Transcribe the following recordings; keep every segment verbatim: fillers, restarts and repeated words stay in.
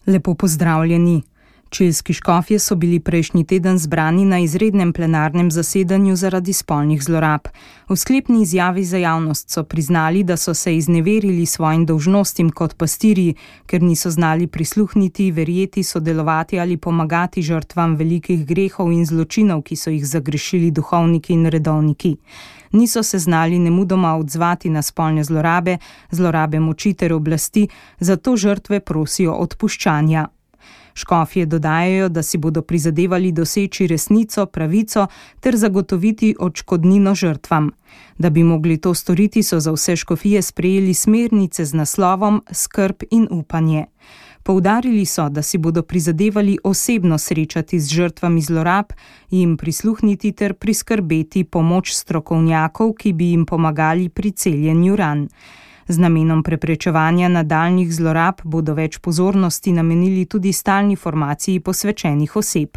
Lepo pozdravljeni. Čilski škofje so bili prejšnji teden zbrani na izrednem plenarnem zasedanju zaradi spolnih zlorab. V sklepni izjavi za javnost so priznali, da so se izneverili svojim dolžnostim kot pastirji, ker niso znali prisluhniti, verjeti, sodelovati ali pomagati žrtvam velikih grehov in zločinov, ki so jih zagrešili duhovniki in redovniki. Niso se znali nemudoma odzvati na spolne zlorabe, zlorabe moči ter oblasti, zato žrtve prosijo odpuščanja. Škofje dodajajo, da si bodo prizadevali doseči resnico, pravico ter zagotoviti odškodnino žrtvam. Da bi mogli to storiti, so za vse škofije sprejeli smernice z naslovom Skrb in upanje. Poudarili so, da si bodo prizadevali osebno srečati z žrtvami zlorab, jim prisluhniti ter priskrbeti pomoč strokovnjakov, ki bi jim pomagali pri celjenju ran. Z namenom preprečevanja nadaljnjih zlorab bodo več pozornosti namenili tudi stalni formaciji posvečenih oseb.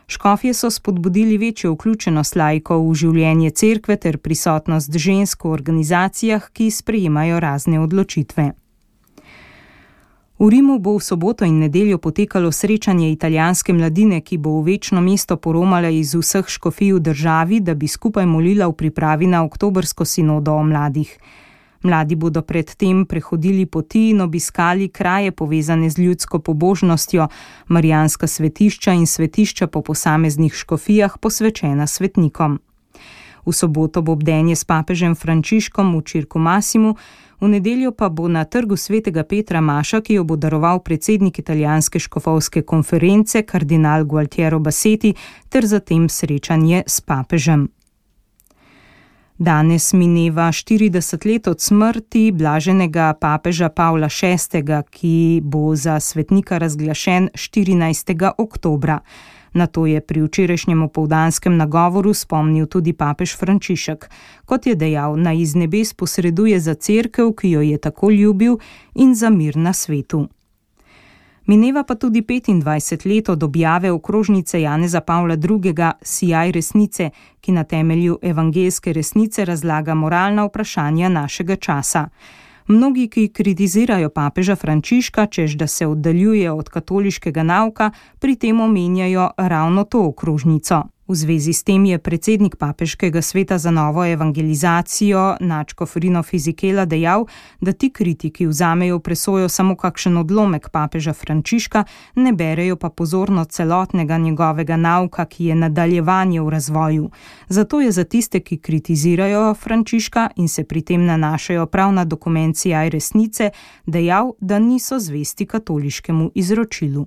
Škofje so spodbudili večjo vključenost laikov v življenje cerkve ter prisotnost žensk v organizacijah, ki sprejemajo razne odločitve. V Rimu bo v soboto in nedeljo potekalo srečanje italijanske mladine, ki bo v večno mesto poromala iz vseh škofij v državi, da bi skupaj molila v pripravi na oktobrsko sinodo o mladih. Mladi bodo predtem prehodili poti in obiskali kraje povezane z ljudsko pobožnostjo, marijanska svetišča in svetišča po posameznih škofijah posvečena svetnikom. V soboto bo bdenje s papežem Frančiškom v Circu Massimu, v nedeljo pa bo na trgu svetega Petra maša, ki jo bo daroval predsednik italijanske škofovske konference kardinal Gualtiero Bassetti, ter zatem srečanje s papežem. Danes mineva štirideset let od smrti blaženega papeža Pavla šestega, ki bo za svetnika razglašen štirinajstega oktobra. Na to je pri včerajšnjem opoldanskem nagovoru spomnil tudi papež Frančišek. Kot je dejal, naj iz nebes posreduje za cerkev, ki jo je tako ljubil, in za mir na svetu. Mineva pa tudi petindvajset let od objave okrožnice Janeza Pavla drugega Sijaj resnice, ki na temelju evangeljske resnice razlaga moralna vprašanja našega časa. Mnogi, ki kritizirajo papeža Frančiška, češ da se oddaljuje od katoliškega nauka, pri tem omenjajo ravno to okrožnico. V zvezi s tem je predsednik papeškega sveta za novo evangelizacijo Načko Frino Fizikela dejal, da ti kritiki vzamejo v presojo samo kakšen odlomek papeža Frančiška, ne berejo pa pozorno celotnega njegovega nauka, ki je nadaljevanje v razvoju. Zato je za tiste, ki kritizirajo Frančiška in se pri tem nanašajo prav na dokument Sijaj resnice, dejal, da niso zvesti katoliškemu izročilu.